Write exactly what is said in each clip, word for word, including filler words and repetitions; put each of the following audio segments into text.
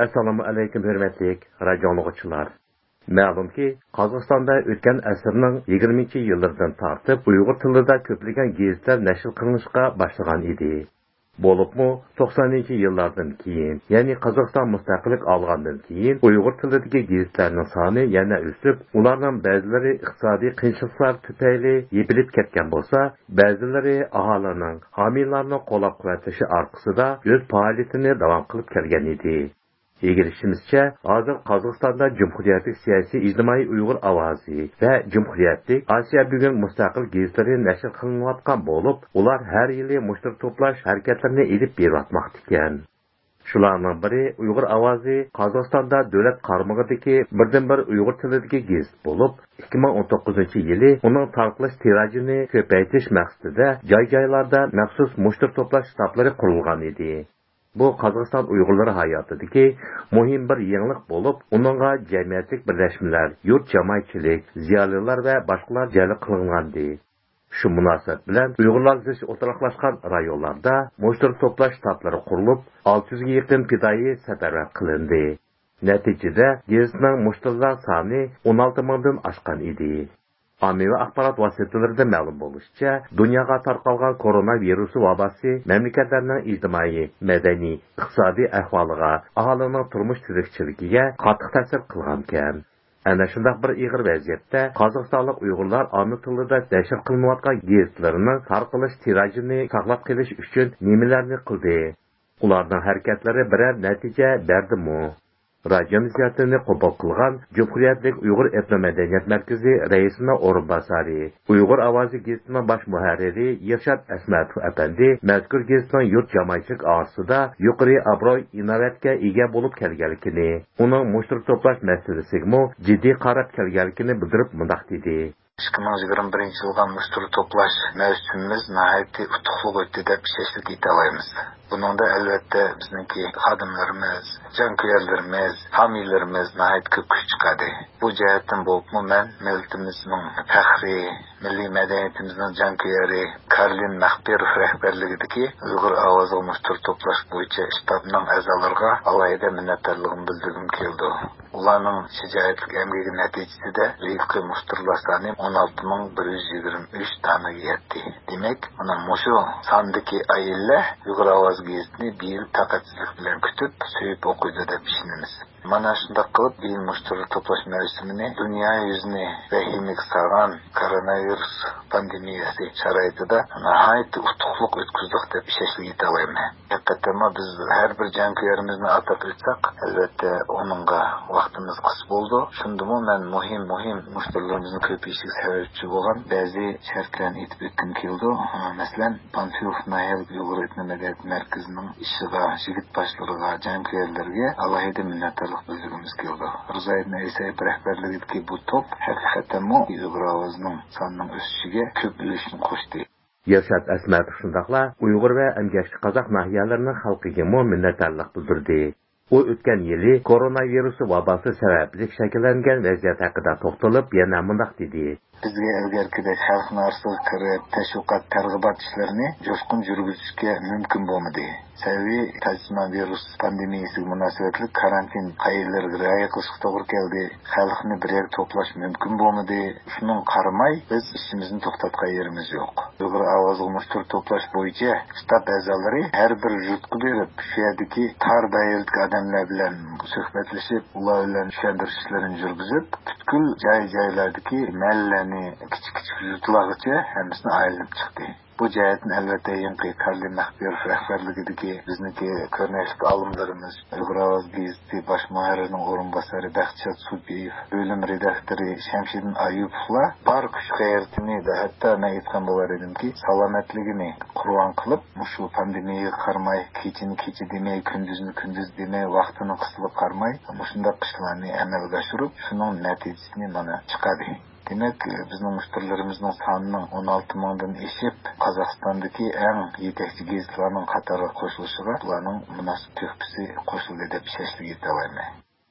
ئەسسالامۇ ئەلەيكۇم، ھۆرمەتلىك رادىيو ئاڭلىغۇچىلار. مەلۇمكى، قازاقىستاندا ئۆتكەن ئەسىرنىڭ يىگىرمىنچى يىللىرىدىن تارتىپ ئۇيغۇر تىلىدا كۆپلىگەن گېزىتلەر نەشر قىلىنىشقا باشلىغان ئىدى. بولۇپمۇ، توقسانىنچى يىللاردىن كېيىن، يەنى قازاقىستان مۇستەقىللىك ئالغاندىن كېيىن، ئۇيغۇر تىلىدىكى گېزىتلەرنىڭ سانى يەنە ئۆسۈپ، ئۇلارنىڭ بەزىلىرى ئىقتىسادىي قىيىنچىلىقلار تۈپەيلى يېپىلىپ كەتكەن بولسا، بەزىلىرى ئاھالىنىڭ، ھامىيلارنىڭ قوللاپ-قۇۋۋەتلىشى ئارقىسىدا ئۆز پائالىيىتىنى داۋام قىلىپ كەلگەن ئىدى. ئىگىلىشىمىزچە، ھازىر قازاقىستاندا جۇمھۇرىيەتلىك سىياسىي ئىجتىمائىي ئۇيغۇر ئاۋازى ۋە جۇمھۇرىيەتلىك ئاسىيا بۈگۈن مۇستەقىل گېزىتلىرى نەشر قىلىنىۋاتقان بولۇپ، ئۇلار ھەر يىلى مۇشتەرى توپلاش ھەرىكەتلىرىنى ئېلىپ بېرىۋاتماقتا ئىكەن. شۇلارنىڭ بىرى ئۇيغۇر ئاۋازى قازاقىستاندا دۆلەت قارمىقىدىكى بىردىنبىر ئۇيغۇر تىلىدىكى گېزىت بولۇپ، ئىككى مىڭ ئون توققۇزىنچى يىلى ئۇنىڭ تارقىلىش تىراژىنى كۆپەيتىش مەقسىتىدە جاي-جايلاردا مەخسۇس مۇشتەرى توپلاش شتابلىرى قۇرۇلغان ئىدى. بۇ قازاقىستان ئۇيغۇرلىرى ھاياتىدىكى مۇھىم بىر يېڭىلىق بولۇپ، ئۇنىڭغا جەمئىيەتلىك بىرلەشمىلەر، يۇرت جامائەتچىلىك، زىيالىيلار ۋە باشقىلار جەلپ قىلىنغانىدى. شۇ مۇناسىۋەت بىلەن ئۇيغۇرلار زىچ ئولتۇراقلاشقان رايونلاردا مۇشتەرى توپلاش شتابلىرى قۇرۇلۇپ، ئالتە يۈزگە يېقىن پىدائىي سەپەرۋەر قىلىندى. نەتىجىدە، گېزىتنىڭ مۇشتەرىلەر سانى ئون ئالتە مىڭدىن ئاشقان ئىدى. ئاممىۋى ئاخبارات ۋاسىتىلىرىدىن مەلۇم بولۇشىچە، دۇنياغا تارقالغان كورونا ۋىرۇسى ۋاباسى مەملىكەتلەرنىڭ ئىجتىمائىي، مەدەنىي، ئىقتىسادىي ئەھۋالىغا، ئاھالىنىڭ تۇرمۇش تىرىكچىلىكىگە قاتتىق تەسىر قىلغانىكەن. ئەنە شۇنداق بىر ئېغىر ۋەزىيەتتە قازاقىستانلىق ئۇيغۇرلار ئانا تىلىدا نەشر قىلىنىۋاتقان گېزىتلىرىنىڭ تارقىلىش تىراژىنى ساقلاپ قېلىش ئۈچۈن نېمىلەرنى قىلدى؟ ئۇلارنىڭ ھەرىكەتلىرى بىرەر نەتىجە بەردىمۇ؟ رادىيومىز زىيارىتىنى قوبۇل قىلغان جۇمھۇرىيەتلىك ئۇيغۇر ئېتنو مەدەنىيەت مەركىزى رەئىسىنىڭ ئورۇنباسارى، ئۇيغۇر ئاۋازى گېزىتىنىڭ باش مۇھەررىرى يىلشات ئەسمەتوف ئەپەندى مەزكۇر گېزىتنىڭ يۇرت جامائەتچىلىك ئارىسىدا يۇقىرى ئابرۇي، ئىناۋەتكە ئىگە بولۇپ كەلگەنلىكىنى، ئۇنىڭ مۇشتەرى توپلاش مەسىلىسىگىمۇ جىددىي قاراپ كەلگەنلىكىنى بىلدۈرۈپ مۇنداق دېدى. ئىككى مىڭ يىگىرمە بىرىنچى يىلغا مۇشتەرى توپلاش مەۋسۇمىمىز ناھايىتى ئۇتۇقلۇق ئۆتتى دەپ ئىشەنچلىك ئېيتالايمىز. بۇنىڭدا ئەلۋەتتە بىزنىڭكى خادىملىرىمىز، جانكۆيەرلىرىمىز، ھامىيلىرىمىز ناھايىتى كۆپ كۈچ چىقاردى. بۇ جەھەتتىن بولۇپمۇ مەن مىللىتىمىزنىڭ پەخرى، مىللىي مەدەنىيىتىمىزنىڭ جانكۆيەرى كارلىن مەخپىروف رەھبەرلىكىدىكى ئۇيغۇر ئاۋازىغا مۇشتەرى توپلاش بويىچە شتابنىڭ ئەزالىرىغا ئالاھىدە مىننەتدارلىقىمنى بىلدۈرگۈم كېلىدۇ. ئۇلارنىڭ شىجائەتلىك ئەمگىكى نەتىجىسىدە ھېلىقى مۇشتەرىلەر سانى ئون ئالتە مىڭ بىر يۈز يىگىرمە ئۈچ دانىگە يەتتى. دېمەك، مانا مۇشۇ ساندىكى ئائىلىلەر ئۇيغۇر ئاۋازى گېزىتىنى بىيىل تاقەتسىزلىك بىلەن كۈتۈپ، سۆيۈپ ئوقۇيدۇ دەپ ئىشىنىمىز. مانا شۇنداق قىلىپ، بىيىل مۇشتەرى توپلاش مەۋسۇمىنى دۇنيا يۈزىنى ۋەھىمىگە سالغان كوروناۋىرۇس پاندېمىيەسى شارائىتىدا ناھايىتى ئۇتۇقلۇق ئۆتكۈزدۇق دەپ ئىشەنچلىك ئېيتالايمەن. ھەقىقەتەنمۇ بىز ھەر بىر جانكۆيەرىمىزنى ئاتاپ ئۆتسەك، ئەلۋەتتە ئۇنىڭغا ۋاقتىمىز قىس بولىدۇ. شۇندىمۇ مەن مۇھىم، مۇھىم مۇشتەرىلىرىمىزنىڭ كۆپىيىشىگە سەۋەبچى بولغان بەزى شەرتلەرنى ئېيتىپ ئۆتكۈم كېلىدۇ. مەسىلەن، پانفىلوف ناھىيەلىك ئۇيغۇر ئېتنو مەدەنىيەت مەركىزىنىڭ ئىشىغا، يىگىت باشلىرىغا، جانكۆيەرلەرگە ئالاھىدە مىننەتدارلىق بىلدۈرگۈمىز كېلىدۇ. رىزايىدىن ئەيسايېف رەھبەرلىكىدىكى بۇ توپ ھەقىقەتەنمۇ ئۇيغۇر ئاۋازىنىڭ سانىنىڭ ئۆسۈشىگە كۆپ ئۈلۈشىنى قوشتى. يىلشات ئەسمەتوف شۇنداقلا ئۇيغۇر ۋە ئەمگەكچى قازاق ناھىيەلىرىنىڭ خەلقىگىمۇ مىننەتدارلىق بىلدۈردى. ئۇ ئۆتكەن يىلى كورونا ۋىرۇسى ۋاباسى سەۋەبلىك شەكىللەنگەن ۋەزىيەت ھەققىدە توختىلىپ، يەنە مۇنداق دېدى. بىزگە ئىلگىرىكىدەك خەلقنىڭ ئارىسىغا كىرىپ، تەشۋىقات، تەرغىبات ئىشلىرىنى جۇشقۇن يۈرگۈزۈشكە مۇمكىن بولمىدى. سەۋەبى، تاجسىمان ۋىرۇس پاندېمىيەسىگە مۇناسىۋەتلىك كارانتىن قائىدىلىرىگە رىئايە قىلىشقا توغرا كەلدى. خەلقنى بىر يەرگە توپلاش مۇمكىن بولمىدى. شۇنىڭغا قارىماي، بىز ئىشىمىزنى توختاتقان يېرىمىز يوق. ئۇيغۇر ئاۋازىغا مۇشتەرى توپلاش بويىچە شتاب ئەزالىرى ھەر بىر يۇرتقا بېرىپ، شۇ يەردىكى تار دائىرىدىكى ئادەملەر بىلەن سۆھبەتلىشىپ، ئۇلار بىلەن چۈشەندۈرۈش ئىشلىرىنى يۈرگۈزۈپ، پۈتكۈل جاي-جايلاردىكى مەھەللىلەرنى، كىچىك-كىچىك يۇرتلارغىچە ھەممىسىنى ئايلىنىپ چىقتى. بۇ جەھەتتىن ئەلۋەتتە يېڭىكى كارلىن مەخپىروف رەھبەرلىكىدىكى بىزنىڭكى كۆرنەكلىك ئالىملىرىمىز، ئۇيغۇر ئاۋازى گېزىتى باش مۇھەررىرىنىڭ ئورۇنباسارى بەختىشات سۇپىيېف، بۆلۈم رېداكتورى شەمشىدىن ئايۇپوۋلار بار كۈچ-غەيرىتىنى، ھەتتا مەن ئېيتقان بولار ئىدىمكى، سالامەتلىكىنى قۇربان قىلىپ، مۇشۇ پاندېمىيەگە قارىماي، كېچىنى كېچە دېمەي، كۈندۈزنى كۈندۈز دېمەي، ۋاقتىنىڭ قىسلىقىغا قارىماي، مۇشۇنداق ئىشلارنى ئەمەلگە ئاشۇرۇپ، شۇنىڭ نەتىجىسىنى مانا چىقاردى. دېمەك، بىزنىڭ مۇشتەرىلىرىمىزنىڭ سانىنىڭ ئون ئالتە مىڭدىن ئېشىپ، قازاقىستاندىكى ئەڭ يېتەكچى گېزىتلەرنىڭ قاتارىغا قوشۇلۇشىغا بۇلارنىڭ مۇناسىپ تۆھپىسى قوشۇلدى دەپ ئىشەنچلىك ئېيتالايمەن.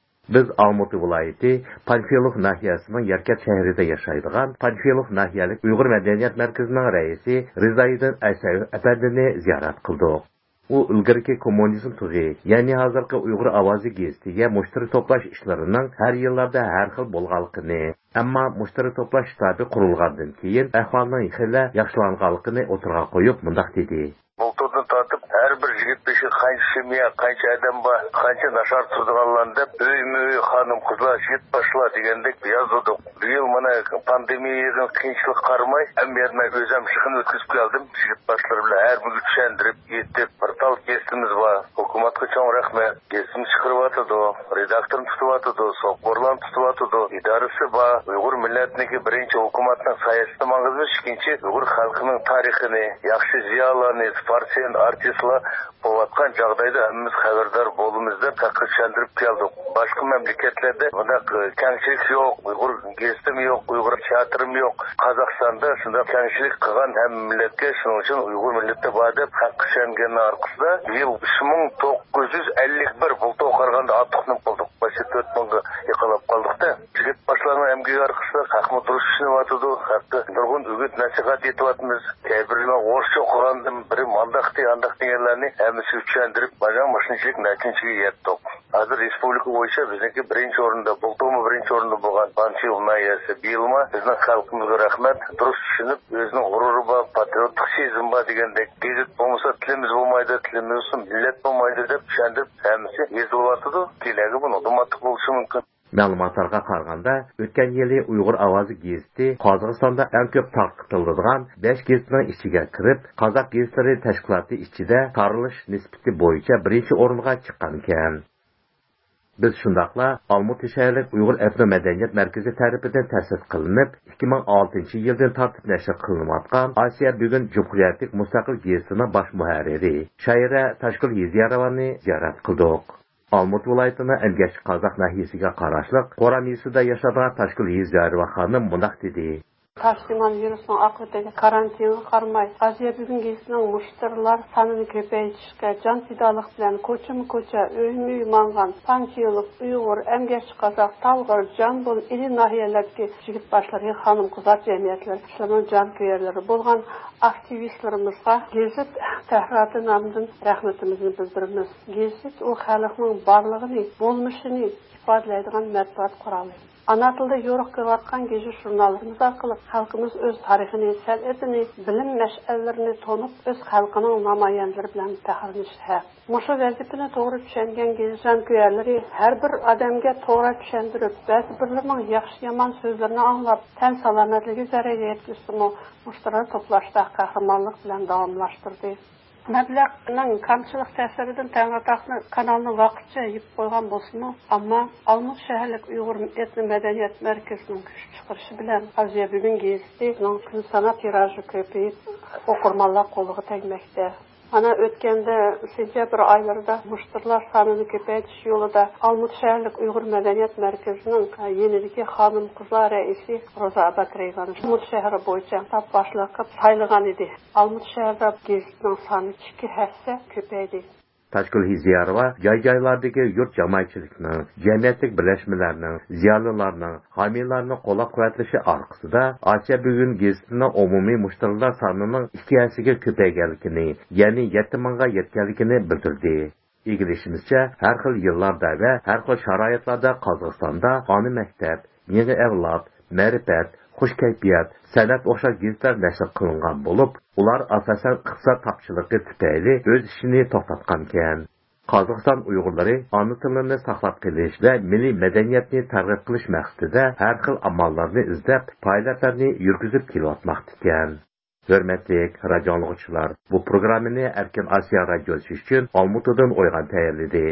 بىز ئالمۇتى ۋىلايىتى پانفىلوف ناھىيەسىنىڭ ياركەنت شەھىرىدە ياشايدىغان پانفىلوف ناھىيەلىك ئۇيغۇر مەدەنىيەت مەركىزىنىڭ رەئىسى رىزايىدىن ئەيسەيېف ئەپەندىنى زىيارەت قىلدۇق. ئۇ ئىلگىرىكى كوممۇنىزم تۇغى، يەنى ھازىرقى ئۇيغۇر ئاۋازى گېزىتىگە مۇشتەرى توپلاش ئىشلىرىنىڭ ھەر يىللاردا ھەر خىل بولغانلىقىنى، ئەمما مۇشتەرى توپلاش شتابى قۇرۇلغاندىن كېيىن ئەھۋالنىڭ خېلى ياخشىلانغانلىقىنى ئوتتۇرىغا قويۇپ مۇنداق دېدى. بۇلتۇردىن تارتىپ ھەر بىر يىگىت بېشىغا قانچە سېمىيە، قانچە ئادەم بار، قانچە ناچار تۇرىدىغانلارنى دەپ، ئۆيمۇ ئۆي خانىم-قىزلار، يىگىت باشلار دېگەندەك يازدۇردۇق. بۇ يىل مانا پاندېمىيەنىڭ قىيىنچىلىقى قارىماي، ئەمدى مەن ئۆزۈم يىغىن ئۆتكۈزۈپ كەلدىم. يىگىت باشلار بىلەن ھەر بىرىگە چۈشەندۈرۈپ، ئېيتىپ، بىر تال گېزىتىمىز بار. ھۆكۈمەتكە چوڭ رەھمەت. گېزىتنى چىقىرىۋاتىدۇ، رېداكتورنى تۇتۇۋاتىدۇ، سوپۇرلارنى تۇتۇۋاتىدۇ، ئىدارىسى بار. ئۇيغۇر مىللەتنىڭكى بىرىنچى ھۆكۈمەتنىڭ سايىسىدا ماڭىمىز، ئىككىنچى ئۇيغۇر خەلقىنىڭ تارىخىنى، ياخشى زىيالىيلارنى، سپورتسمېن، ئارتىسلار بولۇۋاتقان جاغدايدا ھەممىمىز خەۋەردار بولىمىز دەپ خەلققە چۈشەندۈرۈپ كەلدۇق. باشقا مەملىكەتلەردە بۇنداق، ئى، كەڭچىلىك يوق، ئۇيغۇر گېزىتىمۇ يوق، ئۇيغۇر تىياتىرىمۇ يوق. قازاقىستاندا شۇنداق كەڭچىلىك قىلغان ھەممە مىللەتكە، شۇنىڭ ئۈچۈن ئۇيغۇر مىللىتى بار دەپ خەلققە چۈشەنگەننىڭ ئارقىسىدا بىيىل ئۈچ مىڭ توققۇز يۈز ئەللىك بىر، بۇلتۇرغا قارىغاندا ئارتۇقنى قىلدۇق. باشتا تۆت مىڭغا يېقىنلاپ قالدۇق-دە. يىگىت باشلارنىڭ ئەمگىكى ئارقىسىدا خەقمۇ دۇرۇس چۈشىنىۋاتىدۇ، خەققە نۇرغۇن ئۈگۈت نەسىھەت ئېيتىۋاتىمىز. كەيبىرىنىڭ ئورۇسچە ئوقۇغاندىن بىرى مانداقتى، ئانداقتى دېگەنلەرنى ھەممىسىگە چۈشەندۈرۈپ، مانا مۇشۇنچىلىك نەتىجىگە يەتتۇق. ھازىر رېسپۇبلىكا بويىچە بىزنىڭكى بىرىنچى ئورۇندا، بۇلتۇرمۇ بىرىنچى ئورۇندا بولغان پانفىلوف ناھىيەسى بىيىلمۇ بىزنىڭ خەلقىمىزگە رەھمەت، دۇرۇس چۈشىنىپ، ئۆزىنىڭ غۇرۇرى بار، پاترىيوتلۇق سېزىمى بار دېگەندەك، گېزىت بولمىسا تىلىمىز بولمايدۇ، تىلىمىز بولسا مىللەت بولمايدۇ دەپ چۈشەندۈرۈپ، ھەممىسى يېزىلىۋاتىدۇ. كېلەرگە بۇنىڭدىن ئارتۇق بولۇشى مۇمكىن. مەلۇماتلارغا قارىغاندا، ئۆتكەن يىلى ئۇيغۇر ئاۋازى گېزىتى قازاقىستاندا ئەڭ كۆپ تارقىتىلىدىغان بەش گېزىتنىڭ ئىچىگە كىرىپ، قازاق گېزىتلىرى تەشكىلاتى ئىچىدە تارىلىش نىسبىتى بويىچە بىرىنچى ئورۇنغا چىققانىكەن. بىز شۇنداقلا ئالمۇتى شەھەرلىك ئۇيغۇر ئېتنو مەدەنىيەت مەركىزى تەرىپىدىن تەسىس قىلىنىپ، ئىككى مىڭ ئالتىنچى يىلدىن تارتىپ نەشر قىلىنىۋاتقان ئاسىيا بۈگۈن جۇمھۇرىيەتلىك مۇستەقىل گېزىتىنىڭ باش مۇھەررىرى، شائىرە تاشگۈل يېزىياروۋانى زىيارەت قىلدۇق. ئالمۇتا ۋىلايىتىنىڭ ئەمگەكچى قازاق ناھىيەسىگە قاراشلىق قورام يېزىسىدا ياشايدىغان تاشگۈل يېزىياروۋا خانىم مۇنداق دېدى. تاشلىمان ۋىرۇسنىڭ ئاقىۋىتىگە، كارانتىنغا قارىماي، ئازىيا بۈگۈن گېزىتىنىڭ مۇشتەرىلەر سانىنى كۆپەيتىشكە جان پىدالىق بىلەن كوچىمۇ كوچا، ئۆيمۇ ئۆي ماڭغان پانفىلوف ئۇيغۇر ئەمگەكچى قازاق، تالغىر، جامبۇل، ئىلى ناھىيەلەردىكى يىگىت باشلىرى، خانىم قىزلار جەمئىيەتلىرى، شۇلارنىڭ جانكۆيەرلىرى بولغان ئاكتىۋىستلىرىمىزغا گېزىت تەھرىراتى نامىدىن رەھمىتىمىزنى بىلدۈرىمىز. گېزىت ئۇ خەلقنىڭ بارلىقىنى، بولمۇشىنى ئىپادىلەيدىغان مەتبۇئات قورالى. ئانا تىلدا يورۇق كېلىۋاتقان گېزىت ژۇرناللىرىمىز ئارقىلىق خەلقىمىز ئۆز تارىخىنى، سەنئىتىنى، بىلىم مەشئەللىرىنى تونۇپ، ئۆز خەلقىنىڭ نامايەندىلىرى بىلەن پەخىرلىنىشى ھەق. مۇشۇ ۋەزىپىنى توغرا چۈشەنگەن گېزىت جانكۆيەرلىرى ھەر بىر ئادەمگە توغرا چۈشەندۈرۈپ، بەزى بىرلىرىنىڭ ياخشى-يامان سۆزلىرىنى ئاڭلاپ، تەن سالامەتلىكىگە زەرەر يەتكۈزسىمۇ، مۇشتەرى توپلاشتا قەھرىمانلىق بىلەن داۋاملاشتۇردى. مەبلەغنىڭ كامچىلىق تەسىرىدىن تەڭرىتاغنى كانالنى ۋاقىتچە يېپىپ قويغان بولسىمۇ، ئەمما ئالمۇت شەھەرلىك ئۇيغۇر ئېتنو مەدەنىيەت مەركىزىنىڭ كۈچ چىقىرىشى بىلەن ئازىيا بۈگۈن گېزىتىنىڭ كۈن ساناپ تىراژى كۆپىيىپ، ئوقۇرمانلار قولىغا تەگمەكتە. مانا ئۆتكەندە سېنتيابىر ئايلىرىدا مۇشتەرىلەر سانىنى كۆپەيتىش يولىدا ئالمۇتا شەھەرلىك ئۇيغۇر مەدەنىيەت مەركىزىنىڭ يېنىدىكى خانىم قىزلار رەئىسى روزا ئاباترېۋانى ئالمۇتا شەھىرى بويىچە شتاب باشلىقى قىلىپ سايلىغان ئىدى. ئالمۇتا شەھىرىدە گېزىتنىڭ سانى ئىككى ھەسسە كۆپەيدى. تاشگۈل ھېزىياروۋا جاي-جايلاردىكى يۇرت جامائەتچىلىكىنىڭ، جەمئىيەتلىك بىرلەشمىلەرنىڭ، زىيالىيلارنىڭ، ھامىيلارنىڭ قوللاپ-قۇۋۋەتلىشى ئارقىسىدا ئاسىيا بۈگۈن گېزىتىنىڭ ئومۇمىي مۇشتەرىلەر سانىنىڭ ئىككى ھەسسىگە كۆپەيگەنلىكىنى، يەنى يەتتە مىڭغا يەتكەنلىكىنى بىلدۈردى. ئىگىلىشىمىزچە، ھەر خىل يىللاردا ۋە ھەر خىل شارائىتلاردا قازاقىستاندا ئانا مەكتەپ، يېڭى ئەۋلاد، مەرىپەت، خۇش كەيپىيات، سەنئەت ئوخشاش گېزىتلەر نەشر قىلىنغان بولۇپ، ئۇلار ئاساسەن ئىقتىساد تاپچىلىقى تۈپەيلى ئۆز ئىشىنى توختاتقانىكەن. قازاقىستان ئۇيغۇرلىرى ئانا تىلىنى ساقلاپ قېلىش ۋە مىللىي مەدەنىيەتنى تەرغىب قىلىش مەقسىتىدە ھەر خىل ئاماللارنى ئىزدەپ، پائالىيەتلەرنى يۈرگۈزۈپ كېلىۋاتماقتا ئىكەن. ھۆرمەتلىك رادىيو ئاڭلىغۇچىلار، بۇ پروگراممىنى ئەركىن ئاسىيا رادىيوسى ئۈچۈن ئالمۇتىدىن ئويغان تەييارلىدى.